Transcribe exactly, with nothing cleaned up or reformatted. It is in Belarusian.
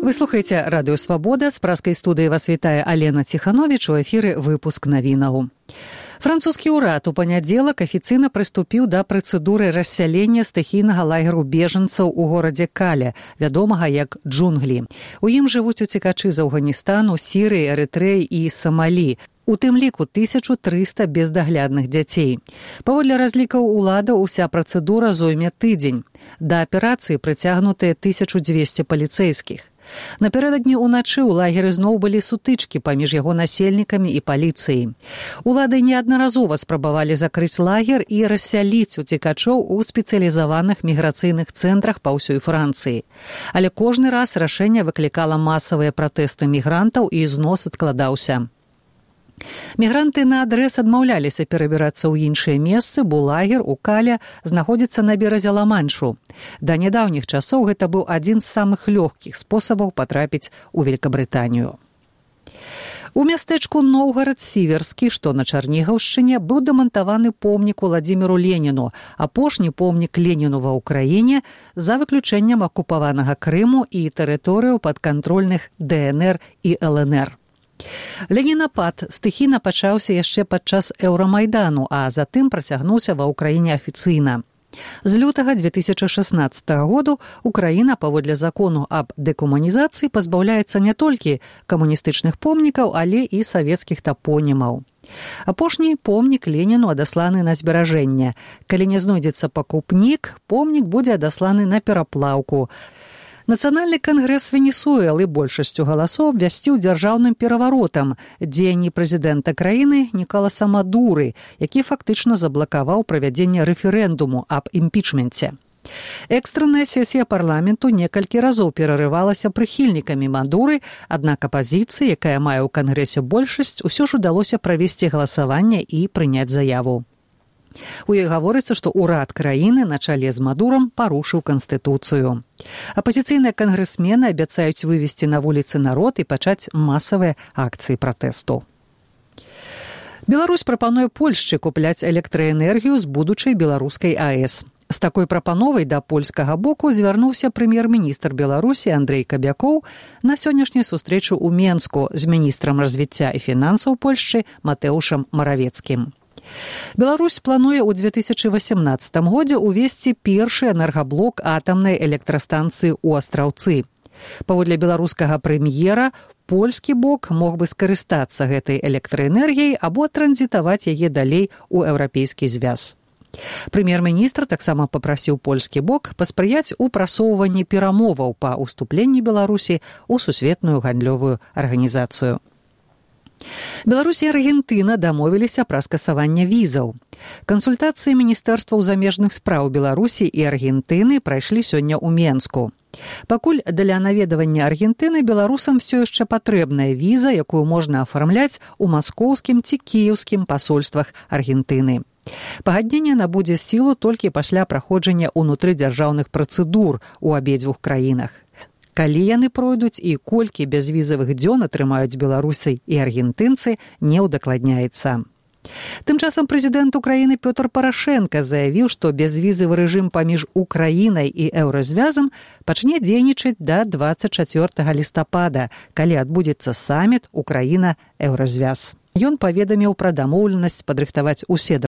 Вы слухаеце радыё «Свабода». З праскай студыі вас вітае Алена Ціхановіч. У эфіры выпуск навінаў. Французскі ўрад у панядзелак афіцыйна прыступіў да працэдуры рассялення стыхійнага лагеру бежанцаў у горадзе Кале, вядомага як Джунглі. У ім жывуць уцекачы з Афганістану, Сірыі, Эрытрэі і Самалі. У тым ліку тысяча трыста бездаглядных дзяцей. Паводле разлікаў улада, уся працэдура зойме тыдзень. Да аперацыі прыцягнутыя тысяча дзвесце паліцэйскіх. Напярэдадні ўначы ў лагеры зноў былі сутычкі паміж яго насельнікамі і паліцыяй. Улады неаднаразова спрабавалі закрыць лагер і рассяліць уцекачоў у спецыялізаваных міграцыйных цэнтрах па ўсёй Францыі. Але кожны раз рашэнне выклікала масавыя пратэсты мігрантаў і знос адкладаўся. Мігранты наадрэз адмаўляліся перабірацца ў іншыя месцы, бо лагер у Кале знаходзіцца на беразе Ла-Маншу. Да нядаўніх часоў гэта быў адзін з самых лёгкіх спосабаў патрапіць у Великабрытанію. У мястэчку Новгарад-Сіверскі, што на Чарнігаўшчыне, быў дэмантаваны помнік Уладзіміру Леніну, апошні помнік Леніну ва ўкраіне за выключэнням акупаванага Крыму і тэрыторыяў падкантрольных Дэ Эн Эр і Эл Эн Эр. Ленінапад стыхійна пачаўся яшчэ падчас Еўрамайдану, а затым працягнуўся ва ўкраіне афіцыйна. З лютага дзве тысячы шаснаццатага году Украіна, паводле закону аб дэкамунізацыі, пазбаўляецца не толькі камуністычных помнікаў, але і савецкіх тапонімаў. Апошні помнік Леніну адасланы на зберажэнне. Калі не знойдзецца пакупнік, помнік будзе адасланы на пераплаўку. Нацыянальны кангрэс Венесуэлы большасцю галасоў абвясціў дзяржаўным пераваротам дзеянні прэзідэнта краіны Нікаласа Мадуры, які фактычна заблакаваў правядзенне рэферэндуму аб імпічменце. Экстранная сесія парламенту некалькі разоў перарывалася прыхільнікамі Мадуры, аднак апазіцыі, якая мае ў кангрэсе большасць, усё ж удалося правесці галасаванне і прыняць заяву. У ёй гаворыцца, што ўрад краіны на чале з Мадурам парушыў канстытуцыю. Апазіцыйныя кангрэсмены абяцаюць вывесці на вуліцы народ і пачаць масавыя акцыі пратэсту. Беларусь прапануе Польшчы купляць электраэнергію з будучай беларускай А Э С. З такой прапановай да польскага боку звярнуўся прэм'ер-міністр Беларусі Андрэй Кабякоў на сённяшняй сустрэчы ў Менску з міністрам развіцця і фінансаў Польшчы Матэушам Маравецкім. Беларусь плануе ў дзве тысячы васямнаццатым годзе увесці першы энергаблок атамнай электрастанцыі ў Астраўцы. Паводле беларускага прэм'ера, польскі бок мог бы скарыстацца гэтай электраэнергіяй або транзітаваць яе далей у еўрапейскі звяз. Прэм'ер-міністр таксама папрасіў польскі бок паспрыяць у прасоўванні перамоваў па ўступленні Беларусі ў сусветную гандлёвую арганізацыю. Беларусь і Аргентына дамовіліся пра скасаванне візаў. Кансультацыі міністэрстваў замежных спраў Беларусі і Аргентыны прайшлі сёння ў Менску. Пакуль для наведавання Аргентыны беларусам все яшчэ патрэбная віза, якую можна афармляць у маскоўскім ці кіеўскім пасольствах Аргентыны. Пагадненне набудзе сілу толькі пасля праходжання ўнутрыдзяржаўных працэдур у абедзвюх краінах. Калі яны пройдуць і колькі бязвізавых дзён атрымаюць беларусы і аргентынцы, не ўдакладняецца. Тым часам прэзідэнт Украіны Пётр Парашэнка заявіў, што бязвізавы рэжым паміж Украінай і еўразвязам пачне дзейнічаць да дваццаць чацвёртага лістапада, калі адбудзецца саміт Украіна-еўразвяз. Ён паведаміў пра дамоўленасць падрыхтаваць усе